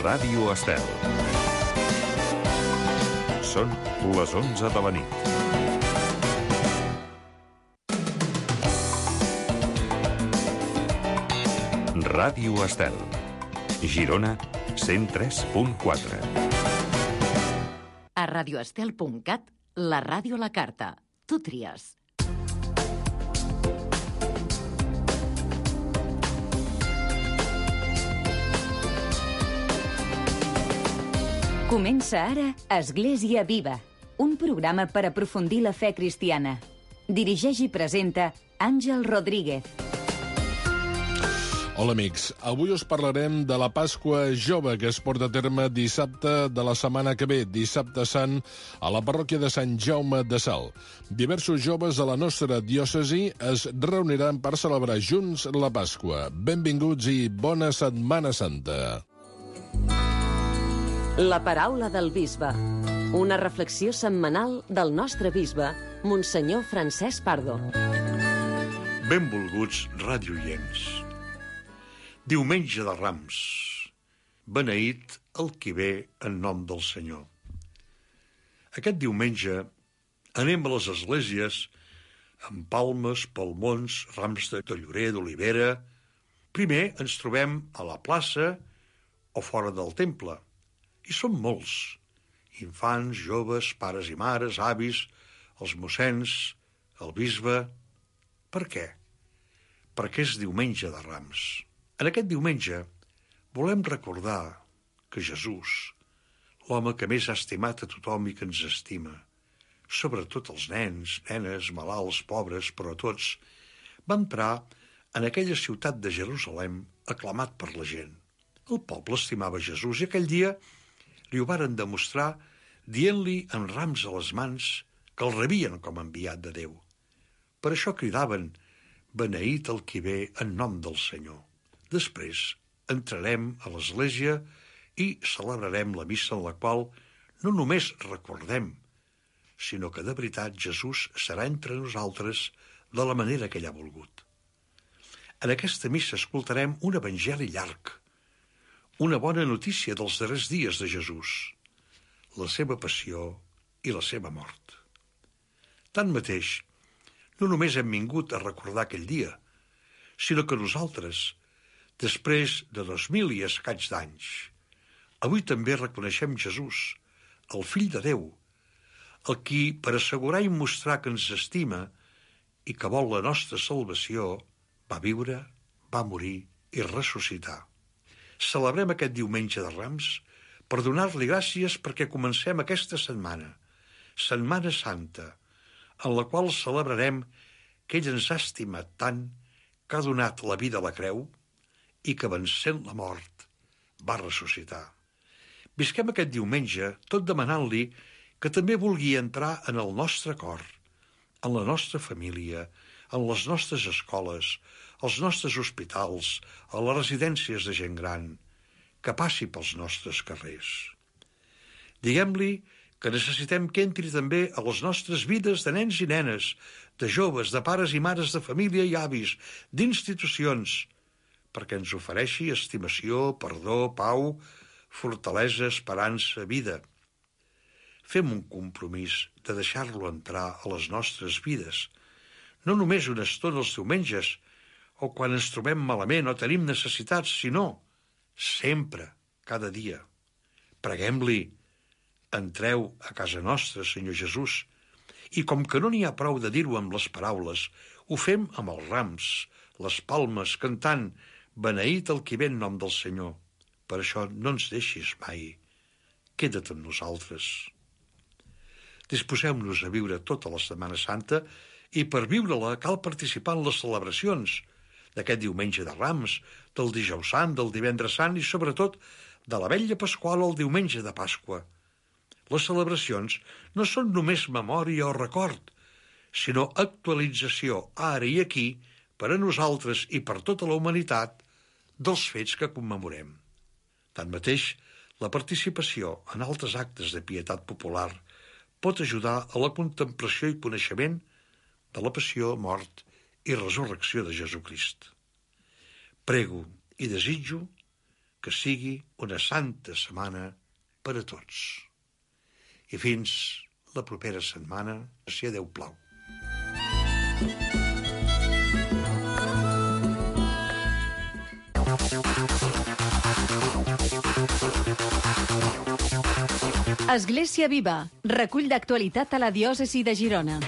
Ràdio Estel. Són les 11 de la nit. Ràdio Estel. Girona, 103.4. A radioestel.cat, la ràdio a la carta. Tu tries. Comença ara Església Viva, un programa per aprofundir la fe cristiana. Dirigeix i presenta Àngel Rodríguez. Hola amics, avui us parlarem de la Pasqua Jove que es porta a terme dissabte de la setmana que ve, dissabte sant, a la parròquia de Sant Jaume de Salt. Diversos joves de la nostra diòcesi es reuniran per celebrar junts la Pasqua. Benvinguts i bona Setmana Santa. La paraula del bisbe. Una reflexió setmanal del nostre bisbe, Monsenyor Francesc Pardo. Benvolguts radioients. Diumenge de Rams. Beneït el qui ve en nom del Senyor. Aquest diumenge anem a les esglésies amb palmes, palmons, rams de llorer, d'olivera. Primer ens trobem a la plaça o fora del temple. I som molts, infants, joves, pares i mares, avis, els mossens, el bisbe. Per què? Perquè és diumenge de Rams. En aquest diumenge volem recordar que Jesús, l'home que més ha estimat a tothom i que ens estima, sobretot els nens, nenes, malalts, pobres, però tots, va entrar en aquella ciutat de Jerusalem aclamat per la gent. El poble estimava Jesús i aquell dia li ho varen demostrar dient-li amb rams a les mans que el rebien com a enviat de Déu. Per això cridaven: beneït el qui ve en nom del Senyor. Després entrarem a l'església i celebrarem la missa en la qual no només recordem, sinó que de veritat Jesús serà entre nosaltres de la manera que ell ha volgut. En aquesta missa escoltarem un evangeli llarg, una bona notícia dels darrers dies de Jesús, la seva passió i la seva mort. Tanmateix, no només hem vingut a recordar aquell dia, sinó que nosaltres, després de 2000 i escaig d'anys, avui també reconeixem Jesús, el fill de Déu, el qui, per assegurar i mostrar que ens estima i que vol la nostra salvació, va viure, va morir i ressuscitar. Celebrem aquest diumenge de Rams per donar-li gràcies perquè comencem aquesta setmana, Setmana Santa, en la qual celebrarem que ell ens ha estimat tant que ha donat la vida a la creu i que, vencent la mort, va ressuscitar. Visquem aquest diumenge tot demanant-li que també vulgui entrar en el nostre cor, en la nostra família, en les nostres escoles, als nostres hospitals, a les residències de gent gran, que passi pels nostres carrers. Diguem-li que necessitem que entri també a les nostres vides de nens i nenes, de joves, de pares i mares de família i avis, d'institucions, perquè ens ofereixi estimació, perdó, pau, fortalesa, esperança, vida. Fem un compromís de deixar-lo entrar a les nostres vides, no només una estona els diumenges, o quan ens trobem malament o tenim necessitats, sinó sempre, cada dia. Preguem-li: entreu a casa nostra, Senyor Jesús, i com que no n'hi ha prou de dir-ho amb les paraules, ho fem amb els rams, les palmes, cantant: beneït el qui ve en nom del Senyor. Per això no ens deixis mai, queda't amb nosaltres. Disposem-nos a viure tota la Setmana Santa i per viure-la cal participar en les celebracions d'aquest diumenge de Rams, del Dijous Sant, del Divendres Sant i, sobretot, de la Vetlla Pasqual o el diumenge de Pasqua. Les celebracions no són només memòria o record, sinó actualització, ara i aquí, per a nosaltres i per tota la humanitat, dels fets que commemorem. Tanmateix, la participació en altres actes de pietat popular pot ajudar a la contemplació i coneixement de la passió, mort i resurrecció de Jesucrist. Prego i desitjo que sigui una santa setmana per a tots. I fins la propera setmana, si a Déu plau. Església Viva, recull d'actualitat a la diòcesi de Girona.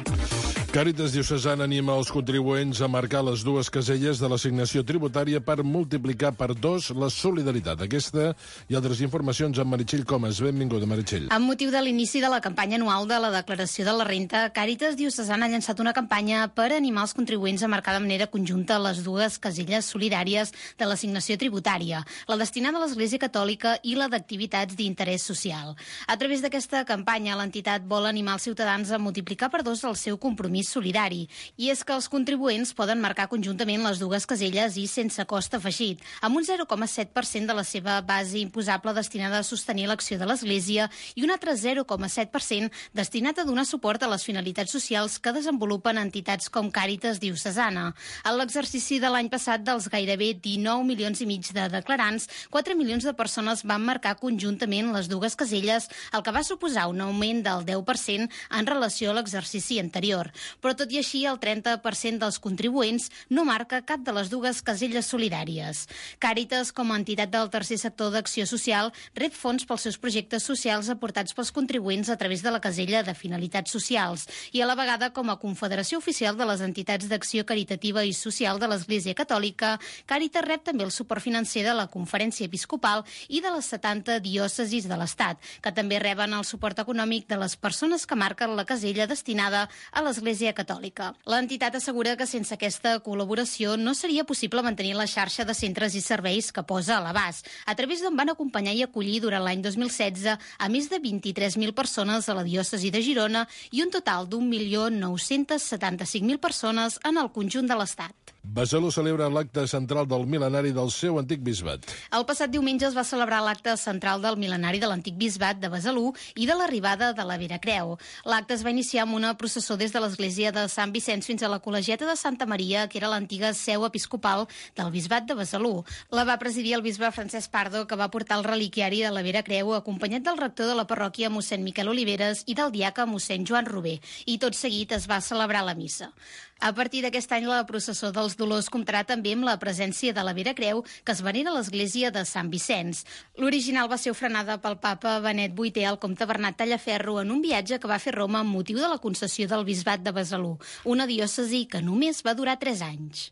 Càritas Diocesana anima els contribuents a marcar les dues caselles de l'assignació tributària per multiplicar per 2 la solidaritat. Aquesta i altres informacions amb Meritxell Comas. Benvinguda, Meritxell. Amb motiu de l'inici de la campanya anual de la declaració de la renta, Càritas Diocesana ha llançat una campanya per animar els contribuents a marcar de manera conjunta les dues caselles solidàries de l'assignació tributària, la destinada a l'Església Catòlica i la d'activitats d'interès social. A través d'aquesta campanya, l'entitat vol animar els ciutadans a multiplicar per 2 el seu compromís solidari. I és que els contribuents poden marcar conjuntament les dues caselles i sense cost afegit, amb un 0,7% de la seva base imposable destinada a sostenir l'acció de l'Església i un altre 0,7% destinat a donar suport a les finalitats socials que desenvolupen entitats com Càritas Diocesana. En l'exercici de l'any passat, dels gairebé 19 milions i mig de declarants, 4 milions de persones van marcar conjuntament les dues caselles, el que va suposar un augment del 10% en relació a l'exercici anterior. Però tot i així, el 30% dels contribuents no marca cap de les dues caselles solidàries. Càritas, com a entitat del tercer sector d'acció social, rep fons pels seus projectes socials aportats pels contribuents a través de la casella de finalitats socials i a la vegada com a confederació oficial de les entitats d'acció caritativa i social de l'Església Catòlica, Càritas rep també el suport financer de la Conferència Episcopal i de les 70 diòcesis de l'Estat, que també reben el suport econòmic de les persones que marquen la casella destinada a l'Església Catòlica. L'entitat assegura que sense aquesta col·laboració no seria possible mantenir la xarxa de centres i serveis que posa a l'abast, a través d'on van acompanyar i acollir durant l'any 2016 a més de 23.000 persones a la diòcesi de Girona i un total d'1.975.000 persones en el conjunt de l'Estat. Besalú celebra l'acte central del mil·lenari del seu antic bisbat. El passat diumenge es va celebrar l'acte central del mil·lenari de l'antic bisbat de Besalú i de l'arribada de la Vera Creu. L'acte es va iniciar amb una processó des de l'església de Sant Vicenç fins a la col·legiata de Santa Maria, que era l'antiga seu episcopal del bisbat de Besalú. La va presidir el bisbe Francesc Pardo, que va portar el reliquiari de la Vera Creu, acompanyat del rector de la parròquia, mossèn Miquel Oliveres, i del diaca, mossèn Joan Rober. I tot seguit es va celebrar la missa. A partir d'aquest any, la processó dels Dolors comptarà també amb la presència de la Vera Creu, que es venera a l'església de Sant Vicenç. L'original va ser ofrenada pel papa Benet VIII al comte Bernat Tallaferro en un viatge que va fer Roma amb motiu de la concessió del bisbat de Besalú, una diòcesi que només va durar 3 anys.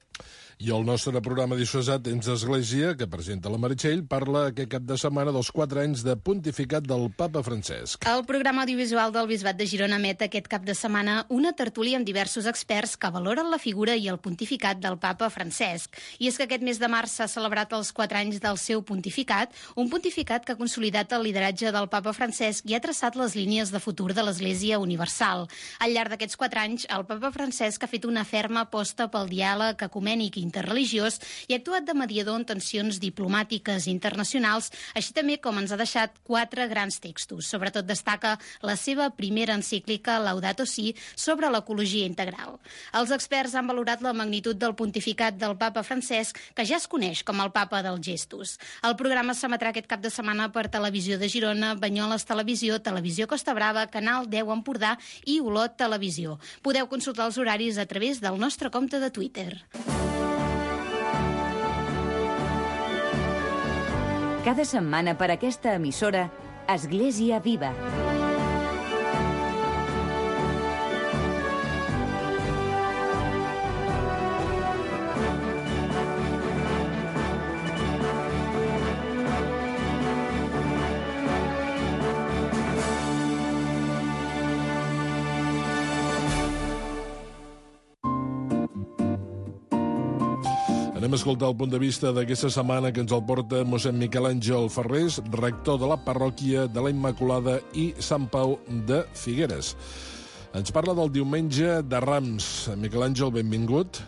I el nostre programa diocesà Temps d'Església, que presenta la Meritxell, parla aquest cap de setmana dels 4 anys de pontificat del papa Francesc. El programa audiovisual del Bisbat de Girona emet aquest cap de setmana una tertúlia amb diversos experts que valoren la figura i el pontificat del papa Francesc. I és que aquest mes de març s'ha celebrat els 4 anys del seu pontificat, un pontificat que ha consolidat el lideratge del papa Francesc i ha traçat les línies de futur de l'Església Universal. Al llarg d'aquests 4 anys, el papa Francesc ha fet una ferma aposta pel diàleg ecumènic interreligiós i ha actuat de mediador en tensions diplomàtiques internacionals, així també com ens ha deixat 4 grans textos. Sobretot destaca la seva primera encíclica, Laudato Si, sobre l'ecologia integral. Els experts han valorat la magnitud del pontificat del papa Francesc, que ja es coneix com el papa dels gestos. El programa s'emetrà aquest cap de setmana per Televisió de Girona, Banyoles Televisió, Televisió Costa Brava, Canal 10 Empordà i Olot Televisió. Podeu consultar els horaris a través del nostre compte de Twitter. Cada setmana per aquesta emissora, Església Viva. Anem a escoltar el punt de vista d'aquesta setmana que ens el porta mossèn Miquel Àngel Ferrés, rector de la parròquia de la Immaculada i Sant Pau de Figueres. Ens parla del diumenge de Rams. Miquel Àngel, benvingut.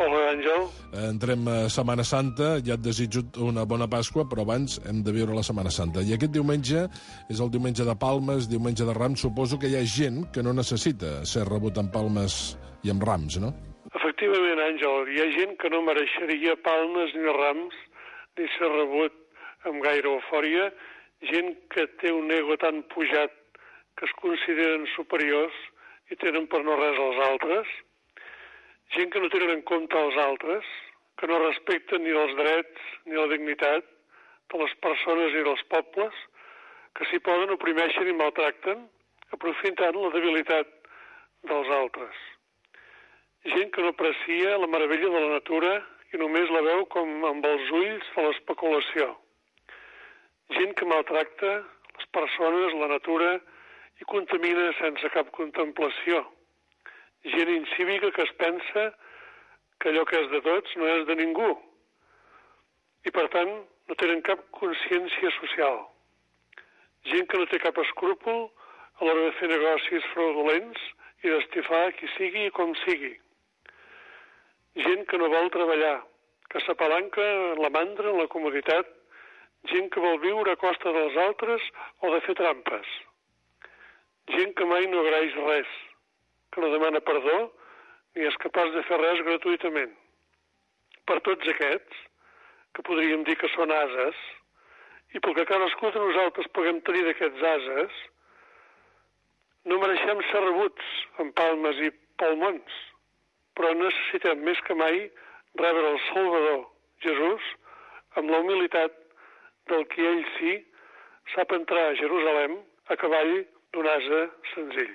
Hola, Àngel. Entrem a Setmana Santa, ja et desitjo una bona Pasqua, però abans hem de viure la Setmana Santa. I aquest diumenge és el diumenge de Palmes, diumenge de Rams. Suposo que hi ha gent que no necessita ser rebut amb palmes i amb rams, no? Efectivament, Àngel, hi ha gent que no mereixeria palmes ni rams ni ser rebut amb gaire eufòria, gent que té un ego tan pujat que es consideren superiors i tenen per no res als altres, gent que no tenen en compte els altres, que no respecten ni els drets ni la dignitat de les persones i dels pobles, que si poden oprimeixen i maltracten, aprofitant la debilitat dels altres. Gent que no aprecia la meravella de la natura i només la veu com amb els ulls de l'especulació. Gent que maltracta les persones, la natura i contamina sense cap contemplació. Gent incívica que es pensa que allò que és de tots no és de ningú i, per tant, no tenen cap consciència social. Gent que no té cap escrúpol a l'hora de fer negocis fraudulents i d'estifar qui sigui i com sigui. Gent que no vol treballar, que s'apalanca en la mandra, en la comoditat, gent que vol viure a costa dels altres o de fer trampes. Gent que mai no agraeix res, que no demana perdó ni és capaç de fer res gratuïtament. Per tots aquests, que podríem dir que són ases, i pel que cadascú de nosaltres puguem tenir d'aquests ases, no mereixem ser rebuts amb palmes i palmons, però necessitem més que mai rebre el Salvador, Jesús, amb la humilitat del qui ell sí sap entrar a Jerusalem a cavall d'un ase senzill.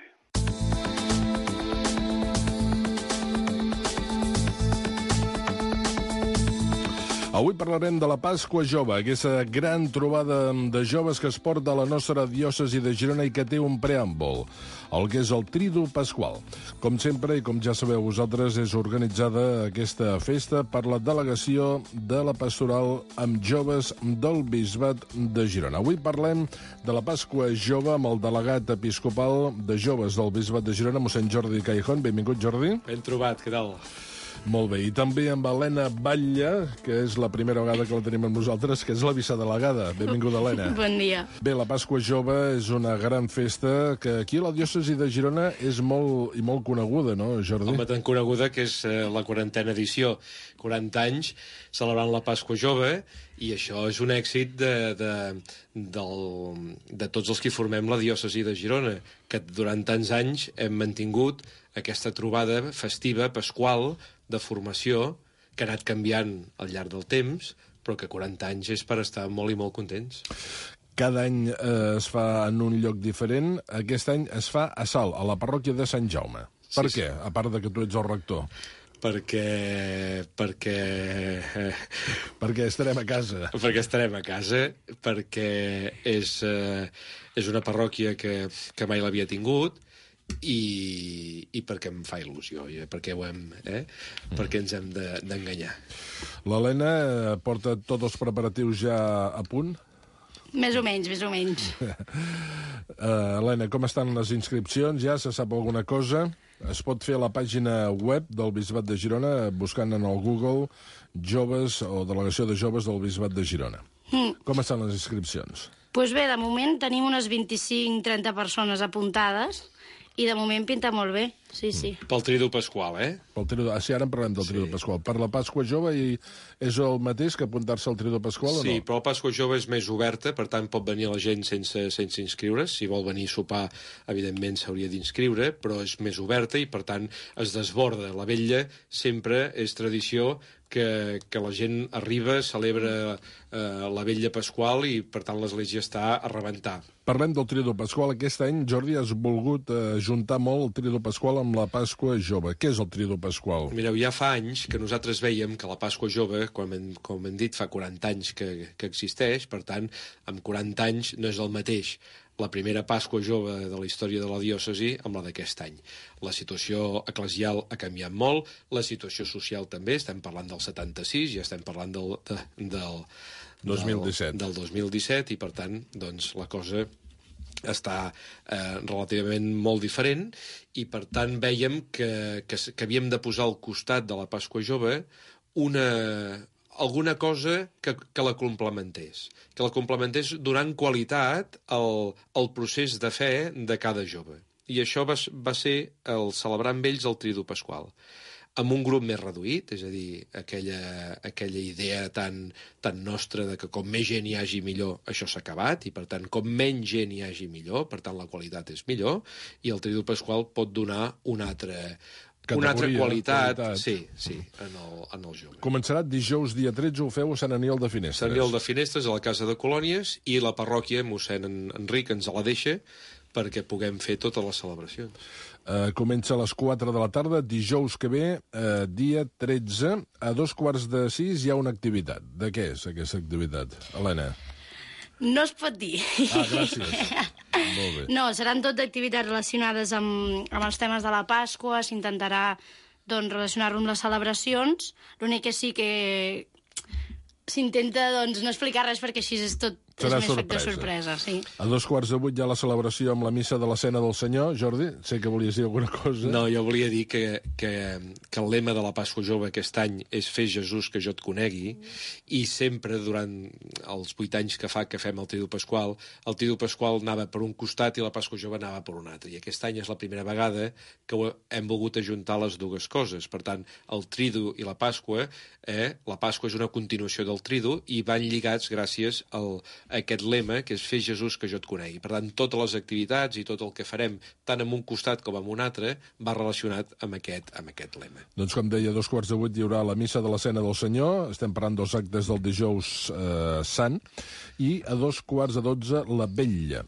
Avui parlarem de la Pasqua Jove, aquesta gran trobada de joves que es porta a la nostra diòcesi de Girona i que té un preàmbul, el que és el Tridu Pasqual. Com sempre, i com ja sabeu vosaltres, és organitzada aquesta festa per la delegació de la Pastoral amb joves del Bisbat de Girona. Avui parlem de la Pasqua Jove amb el delegat episcopal de joves del Bisbat de Girona, mossèn Jordi Caijón. Benvingut, Jordi. Ben trobat, què tal? Molt bé, i també amb Helena Batlle, que és la primera vegada que la tenim amb nosaltres, que és la vicedelegada. Benvinguda, Helena. Bon dia. Bé, la Pasqua Jove és una gran festa que aquí a la diòcesi de Girona és molt coneguda, no, Jordi? Home, tan coneguda que és la 40a edició, 40 anys celebrant la Pasqua Jove, i això és un èxit de tots els que formem la diòcesi de Girona, que durant tants anys hem mantingut aquesta trobada festiva, pasqual, de formació, que ha anat canviant al llarg del temps, però que 40 anys és per estar molt i molt contents. Cada any es fa en un lloc diferent. Aquest any es fa a Salt, a la parròquia de Sant Jaume. Per què? A part de que tu ets el rector. Perquè estarem a casa. Perquè estarem a casa, perquè és una parròquia que mai l'havia tingut, i perquè em fa il·lusió, perquè perquè ens hem d'enganyar. L'Helena porta tots els preparatius ja a punt? Més o menys. Helena, com estan les inscripcions? Ja se sap alguna cosa? Es pot fer a la pàgina web del Bisbat de Girona, buscant en el Google joves o delegació de joves del Bisbat de Girona. Com estan les inscripcions? Doncs bé, de moment tenim unes 25-30 persones apuntades i de moment pinta molt bé, sí. Pel Tridu Pasqual, Sí, ara en parlem del Tridu Pasqual. Per la Pasqua Jove és el mateix que apuntar-se al Tridu Pasqual o no? Sí, però la Pasqua Jove és més oberta, per tant pot venir la gent sense inscriure's. Si vol venir a sopar, evidentment s'hauria d'inscriure, però és més oberta i per tant es desborda. La vetlla sempre és tradició que la gent arriba, celebra la vetlla pasqual i per tant l'església està a rebentar. Parlem del Tridu Pasqual. Aquest any, Jordi, has volgut juntar molt el Tridu Pasqual amb la Pasqua Jove. Què és el Tridu Pasqual? Mireu, ja fa anys que nosaltres veiem que la Pasqua Jove, com hem dit, fa 40 anys que existeix, per tant, amb 40 anys no és el mateix la primera Pasqua Jove de la història de la diòcesi amb la d'aquest any. La situació eclesial ha canviat molt, la situació social també, estem parlant del 76, ja estem parlant del 2017, i per tant, doncs, la cosa està relativament molt diferent, i per tant veiem que havíem de posar al costat de la Pasqua Jove alguna cosa que la complementés donant qualitat al procés de fe de cada jove. I això va ser el celebrar amb ells el Tridu Pasqual. amb un grup més reduït, és a dir, aquella idea tan nostra de que com més gent hi hagi millor, això s'ha acabat, i per tant, com menys gent hi hagi millor, per tant, la qualitat és millor, i el Tridu Pasqual pot donar una altra qualitat. Sí, en el jove. Començarà dijous dia 13, ho feu a Sant Aniol de Finestres. Sant Aniol de Finestres, a la Casa de Colònies, i la parròquia mossèn Enric ens la deixa perquè puguem fer totes les celebracions. Comença a les 4 de la tarda, dijous que ve, dia 13, a 5:45 hi ha una activitat. De què és aquesta activitat, Helena? No es pot dir. Gràcies. Molt bé. No, seran tot d'activitats relacionades amb els temes de la Pasqua, s'intentarà relacionar-lo amb les celebracions. L'únic que sí que s'intenta no explicar res perquè així és tot serà més factor sorpresa. Sí. A 7:15 hi ha la celebració amb la missa de la Cena del Senyor. Jordi, sé que volies dir alguna cosa. No, jo volia dir que el lema de la Pasqua Jove aquest any és Fes Jesús que jo et conegui, i sempre durant els 8 anys que fa que fem el Tridu Pasqual, el Tridu Pasqual anava per un costat i la Pasqua Jove anava per un altre. I aquest any és la primera vegada que hem volgut ajuntar les dues coses. Per tant, el Tridu i la Pasqua és una continuació del Tridu i van lligats gràcies a aquest lema, que és Fes Jesús que jo et conegui. Per tant, totes les activitats i tot el que farem, tant en un costat com en un altre, va relacionat amb aquest lema. Doncs, com deia, a 7:15 hi haurà la missa de la Cena del Senyor, estem parlant dels actes del dijous sant, i a 11:45 la vetlla.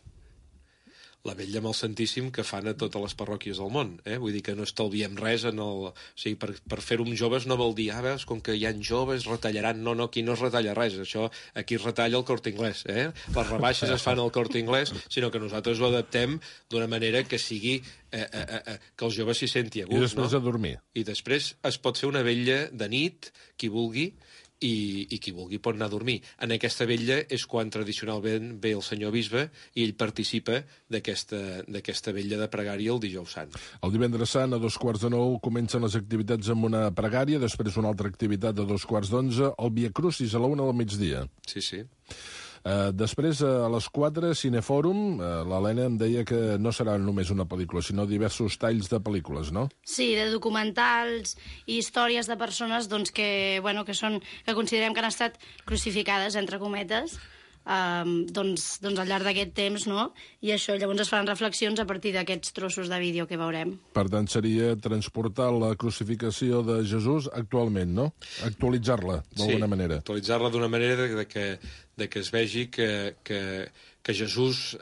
La vetlla amb el Santíssim que fan a totes les parròquies del món. Vull dir que no estalviem res O sigui, per fer-ho amb joves no vol dir, veus, com que hi ha joves, retallaran. No, aquí no es retalla res. Això, aquí es retalla el Corte Inglés. Les rebaixes es fan al Corte Inglés, sinó que nosaltres ho adaptem d'una manera que sigui que els joves s'hi senti a gust. I després a dormir. I després es pot fer una vetlla de nit, qui vulgui, i qui vulgui pot anar a dormir. En aquesta vetlla és quan tradicionalment ve el senyor bisbe i ell participa d'aquesta vetlla de pregària el dijous sant. El divendres sant, a 8:45, comencen les activitats amb una pregària, després una altra activitat a 2:11, el Via Crucis a la 1 del migdia. Sí. Després, a les 4, Cinefòrum, l'Helena em deia que no serà només una pel·lícula, sinó diversos talls de pel·lícules, no? Sí, de documentals i històries de persones que considerem que han estat crucificades, entre cometes, al llarg d'aquest temps, no? I això, llavors es faran reflexions a partir d'aquests trossos de vídeo que veurem. Per tant, seria transportar la crucificació de Jesús actualment, no? Actualitzar-la, d'alguna manera. Sí, actualitzar-la d'una manera que es vegi que Jesús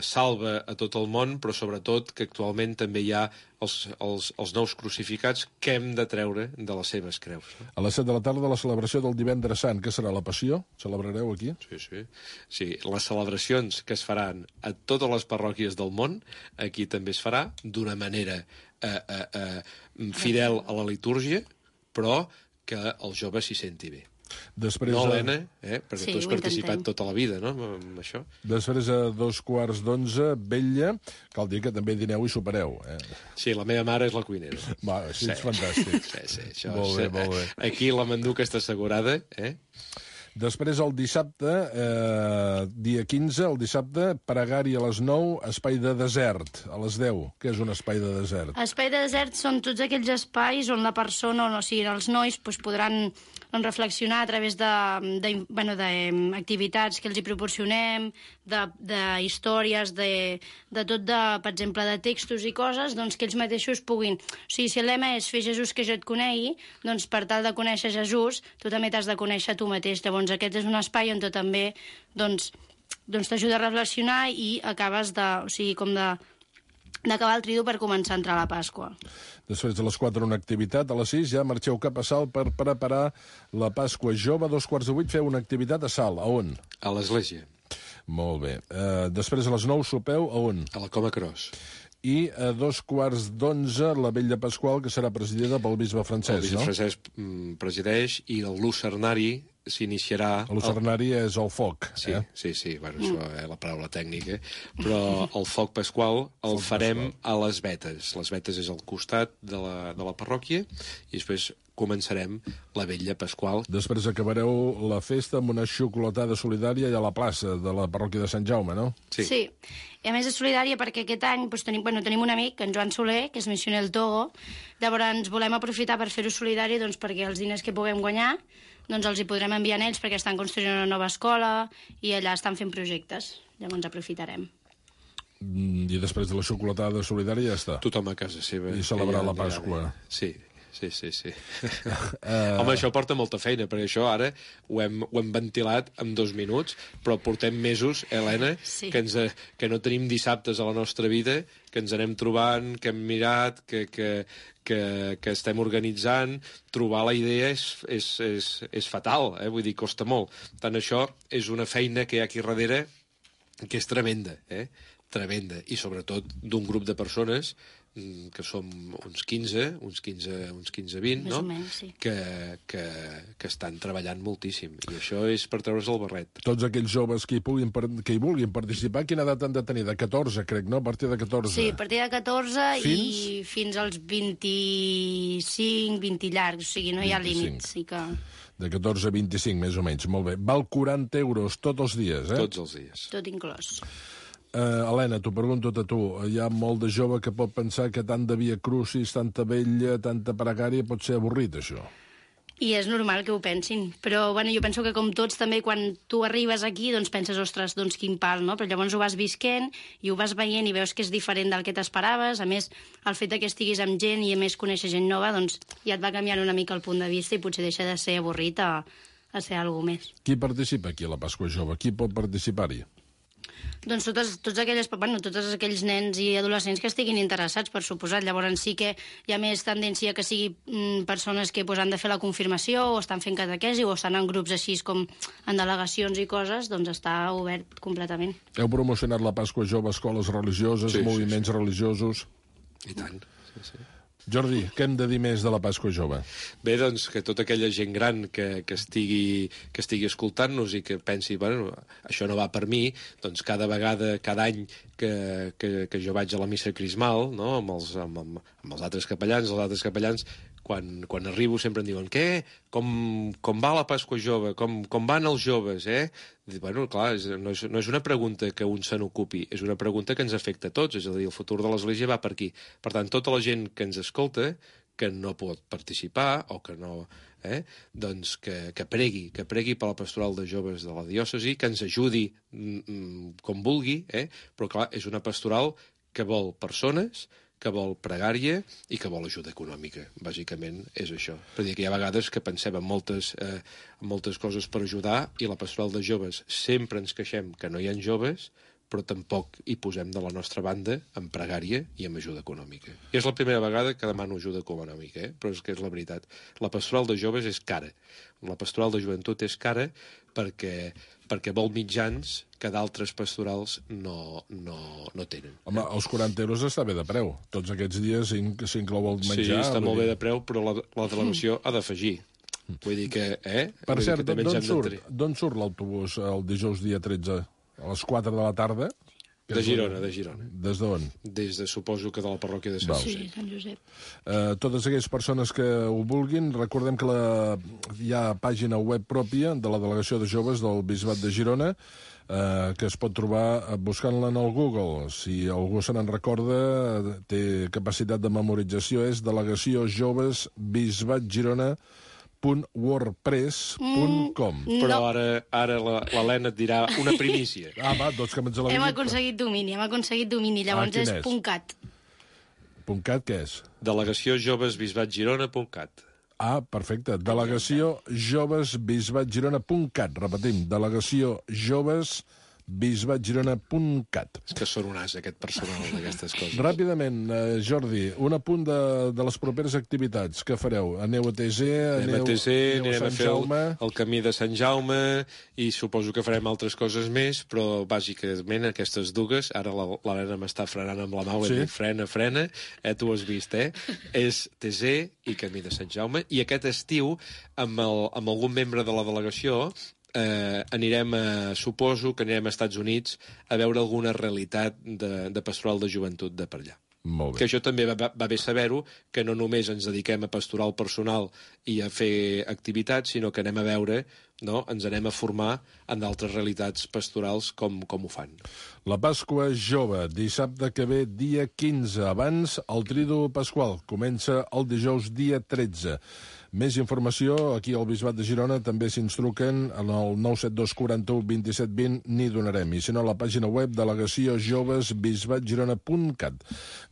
salva a tot el món, però sobretot que actualment també hi ha els nous crucificats que hem de treure de les seves creus. A les 7 de la tarda, la celebració del divendres sant, que serà la Passió? Celebrareu aquí? Sí, les celebracions que es faran a totes les parròquies del món, aquí també es farà d'una manera fidel a la litúrgia, però que el jove s'hi senti bé. Després, no, Helena, perquè tu has participat tota la vida, no?, amb això. Després, a 2:15, vetlla, cal dir que també dineu i sopareu. Sí, la meva mare és la cuinera. Va, així és fantàstic. Sí, això molt bé. Aquí la manduca està assegurada, Després, el dissabte, dia 15, el dissabte, pregària a les 9, espai de desert, a les 10. Què és un espai de desert? Espai de desert són tots aquells espais on la persona, o sigui, els nois, podran reflexionar a través d'activitats que els hi proporcionem, de històries, de tot, per exemple, de textos i coses, que ells mateixos puguin... O sigui, si el lema és Fer Jesús que jo et conegui, per tal de conèixer Jesús, tu també t'has de conèixer tu mateix. Llavors, aquest és un espai on tu també t'ajuda a reflexionar i acabes d'acabar el tridu per començar a entrar a la Pasqua. Després de les 4 una activitat, a les 6 ja marxeu cap a Salt per preparar la Pasqua Jove. A 7:15 feu una activitat a Salt. A on? A l'església. Molt bé. Després a les 9 sopeu a on? A la Coma Cros. I a 2:15 la vetlla pasqual, que serà presidida pel bisbe Francesc, no? El bisbe Francesc presideix i el lucernari s'iniciarà... El lucernari és el foc. Sí, bueno, això és la paraula tècnica, però el foc pasqual el farem a les vetes. Les vetes és al costat de la parròquia i després començarem la vetlla pasqual. Després acabareu la festa amb una xocolatada solidària a la plaça de la parròquia de Sant Jaume, no? Sí. I a més és solidària perquè aquest any tenim un amic, en Joan Soler, que és missioner al Togo. Llavors volem aprofitar per fer-ho solidari perquè els diners que puguem guanyar els hi podrem enviar a ells perquè estan construint una nova escola i allà estan fent projectes. Llavors aprofitarem. I després de la xocolatada solidària ja està. Tothom a casa seva. I celebrar la Pasqua. Sí. Home, això porta molta feina, perquè això ara ho hem ventilat en 2 minuts, però portem mesos, Helena, que no tenim dissabtes a la nostra vida, que ens anem trobant, que hem mirat, que estem organitzant. Trobar la idea és fatal, vull dir, costa molt. Tant això és una feina que hi ha aquí darrere que és tremenda, tremenda, i sobretot d'un grup de persones que som uns 15, 20, no? Menys, sí. que estan treballant moltíssim, i això és per treure's el barret. Tots aquells joves que hi vulguin participar, quina edat han de tenir? De 14, crec, no? A partir de 14. Sí, a partir de 14 i fins als 25, 20 llargs, o sigui, no hi ha límits. Sí que... De 14 a 25, més o menys. Molt bé. Val 40 euros tots els dies, Tots els dies. Tot inclòs. Helena, t'ho pregunto a tu. Hi ha molt de jove que pot pensar que tant de via crucis, tanta vella, tanta pregària, pot ser avorrit, això. I és normal que ho pensin, però jo penso que com tots també quan tu arribes aquí penses, ostres, quin pal, no? Però llavors ho vas visquent i ho vas veient i veus que és diferent del que t'esperaves. A més, el fet que estiguis amb gent i a més conèixer gent nova, ja et va canviant una mica el punt de vista i potser deixa de ser avorrit a ser alguna més. Qui participa aquí a la Pasqua Jove? Qui pot participar-hi? Tots aquells nens i adolescents que estiguin interessats, per suposat. Llavors sí que hi ha més tendència que sigui persones que han de fer la confirmació o estan fent catequesi o estan en grups així com en delegacions i coses, està obert completament. Heu promocionat la Pasqua Jove a escoles religioses, moviments religiosos? I tant, sí. Jordi, què hem de dir més de la Pasqua Jove? Bé, que tota aquella gent gran que estigui escoltant-nos i que pensi, això no va per mi, cada vegada, cada any que jo vaig a la missa crismal, no? amb els altres capellans, quan arribo sempre em diuen què? Com va la Pasqua Jove? Com van els joves, Clar, no és una pregunta que un se n'ocupi, és una pregunta que ens afecta a tots, és a dir, el futur de l'Església va per aquí. Per tant, tota la gent que ens escolta, que no pot participar o que no... que pregui per la pastoral de joves de la diòcesi, que ens ajudi com vulgui, però clar, és una pastoral que vol persones, que vol pregària i que vol ajuda econòmica. Bàsicament és això. Per dir que hi ha vegades que pensem en moltes coses per ajudar i la pastoral de joves sempre ens queixem que no hi ha joves, però tampoc hi posem de la nostra banda en pregària i en ajuda econòmica. I és la primera vegada que demano ajuda econòmica, però és que és la veritat. La pastoral de joves és cara. La pastoral de joventut és cara perquè vol mitjans que d'altres pastorals no tenen. Home, els 40 euros està bé de preu. Tots aquests dies s'inclou el menjar... Sí, està molt bé de preu, però la delegació ha d'afegir. Vull dir que... Per cert, d'on surt l'autobús el dijous dia 13? A les 4 de la tarda? De Girona. Des d'on? Suposo que de la parròquia de Sant Josep. Sí, Sant Josep. Totes aquelles persones que ho vulguin, recordem que hi ha pàgina web pròpia de la Delegació de Joves del Bisbat de Girona, que es pot trobar buscant-la en el Google. Si algú se n'en recorda, té capacitat de memorització, és Delegació Joves Bisbat Girona .wordpress.com. Però ara l'Helena et dirà una primícia. Va, doncs que me'ns la Hem aconseguit domini, llavors és .cat. .cat què és? Delegació Joves Bisbat Girona.cat. Perfecte. Delegació Joves Bisbat Girona.cat. Repetim, Delegació Joves bisbatgirona.cat. És que són un as, aquest personal, d'aquestes coses. Ràpidament, Jordi, un apunt de les properes activitats. Què fareu? Aneu a TC? Anirem a fer el camí de Sant Jaume i suposo que farem altres coses més, però bàsicament aquestes dues, ara l'Helena m'està frenant amb la mà, sí? Frena, tu has vist, és TC i camí de Sant Jaume, i aquest estiu, amb algun membre de la delegació, suposo que anirem a Estats Units a veure alguna realitat de pastoral de joventut de per allà. Molt bé. Que això també va bé saber-ho, que no només ens dediquem a pastoral personal i a fer activitats, sinó que anem a veure, no? Ens anem a formar en d'altres realitats pastorals com ho fan. La Pasqua Jove, dissabte que ve, dia 15. Abans, el Tridu Pasqual. Comença el dijous, dia 13. Més informació, aquí al Bisbat de Girona també s'instruquen en el 972 41 27 20, n'hi donarem. I si no, a la pàgina web delegaciojovesbisbatgirona.cat.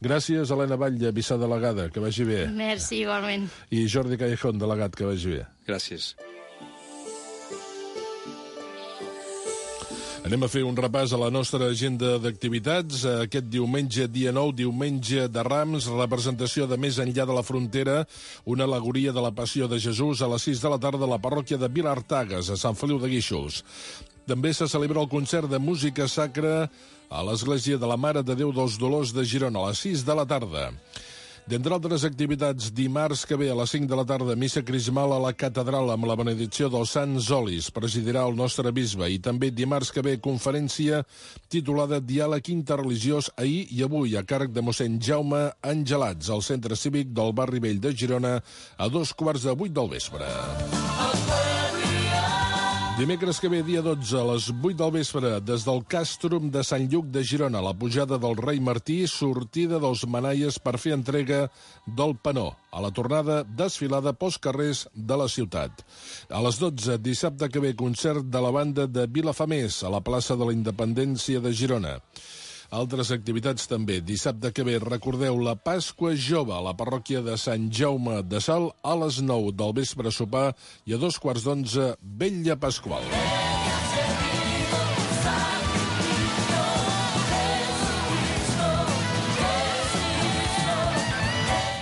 Gràcies, Helena Batlle, vicedelegada, que vagi bé. Merci, igualment. I Jordi Callejón, delegat, que vagi bé. Gràcies. Anem a fer un repàs a la nostra agenda d'activitats. Aquest diumenge, dia 9, diumenge de Rams, representació de Més enllà de la frontera, una al·legoria de la Passió de Jesús a les 6 de la tarda a la parròquia de Vilartagas, a Sant Feliu de Guíxols. També se celebra el concert de música sacra a l'Església de la Mare de Déu dels Dolors de Girona, a les 6 de la tarda. D'entre altres activitats, dimarts que ve a les 5 de la tarda, missa crismal a la catedral amb la benedicció dels Sants Olis. Presidirà el nostre bisbe. I també dimarts que ve, conferència titulada Diàleg interreligiós ahir i avui, a càrrec de mossèn Jaume Angelats, al Centre Cívic del Barri Vell de Girona, a 7:15 del vespre. Dimecres que ve, dia 12, a les 8 del vespre, des del Càstrum de Sant Lluc de Girona, la pujada del rei Martí, sortida dels manaies per fer entrega del penó. A la tornada, desfilada pels carrers de la ciutat. A les 12, dissabte que ve, concert de la banda de Vilafamés, a la plaça de la Independència de Girona. Altres activitats també. Dissabte que ve, recordeu, la Pasqua Jove a la parròquia de Sant Jaume de Salt a les 9 del vespre sopar i a 11:15 Vetlla Pasqual.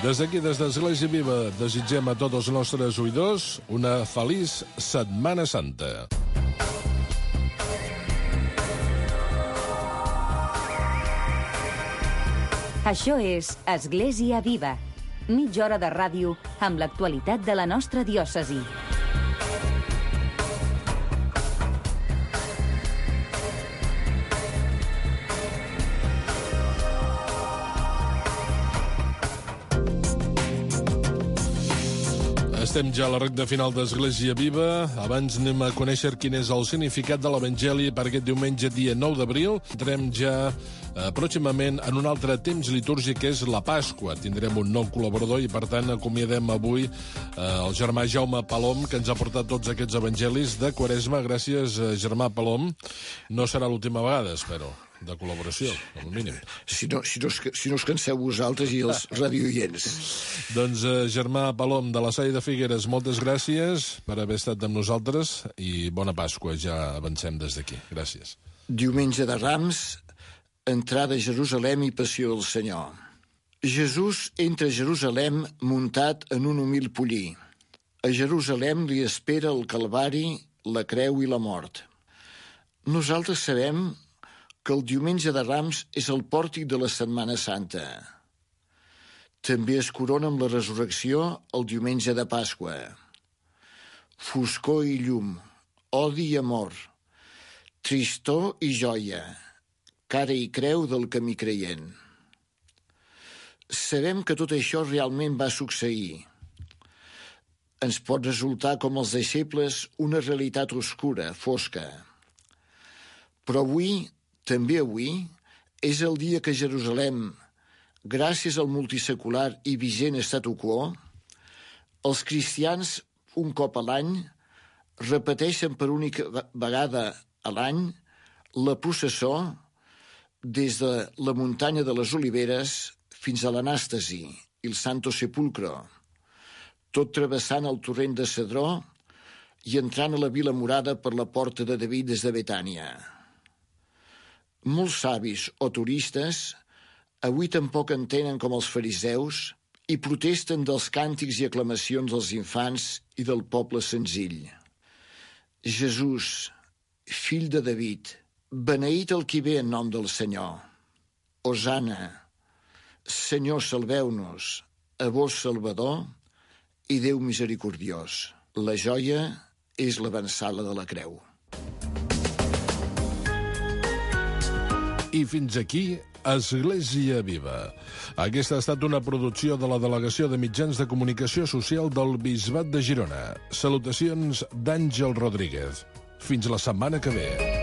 Des d'aquí, des d'Església Viva, desitgem a tots els nostres oïdors una feliç Setmana Santa. Això és Església Viva. Mitja hora de ràdio amb l'actualitat de la nostra diòcesi. Estem ja a la recta final d'Església Viva. Abans anem a conèixer quin és el significat de l'Evangeli per aquest diumenge, dia 9 d'abril. Entrem ja pròximament en un altre temps litúrgic, que és la Pasqua. Tindrem un nou col·laborador i, per tant, acomiadem avui el germà Jaume Palom, que ens ha portat tots aquests evangelis de Quaresma. Gràcies, germà Palom. No serà l'última vegada, espero, de col·laboració, com a mínim. Si no us canseu vosaltres i els radioients. Doncs, germà Palom, de la Salle de Figueres, moltes gràcies per haver estat amb nosaltres i bona Pasqua, ja avancem des d'aquí. Gràcies. Diumenge de Rams, entrada a Jerusalem i passió del Senyor. Jesús entra a Jerusalem muntat en un humil pollí. A Jerusalem li espera el Calvari, la creu i la mort. Nosaltres sabem que el diumenge de Rams és el pòrtic de la Setmana Santa. També es corona amb la resurrecció el diumenge de Pasqua. Foscor i llum, odi i amor, tristor i joia, cara i creu del camí creient. Sabem que tot això realment va succeir. Ens pot resultar, com els deixebles, una realitat oscura, fosca. Però avui, també avui, és el dia que Jerusalem, gràcies al multisecular i vigent statu quo, els cristians, un cop a l'any, repeteixen per única vegada a l'any la processó des de la muntanya de les Oliveres fins a l'Anàstasi i el Santo Sepulcro, tot travessant el torrent de Cedró i entrant a la Vila Murada per la Porta de David des de Betània. Molts savis o turistes avui tampoc entenen com els fariseus i protesten dels càntics i aclamacions dels infants i del poble senzill. Jesús, fill de David, beneït el qui ve en nom del Senyor. Hosana, Senyor, salveu-nos, a vos Salvador i Déu misericordiós. La joia és l'avançada de la creu. I fins aquí Església Viva. Aquesta ha estat una producció de la Delegació de Mitjans de Comunicació Social del Bisbat de Girona. Salutacions d'Àngel Rodríguez. Fins la setmana que ve.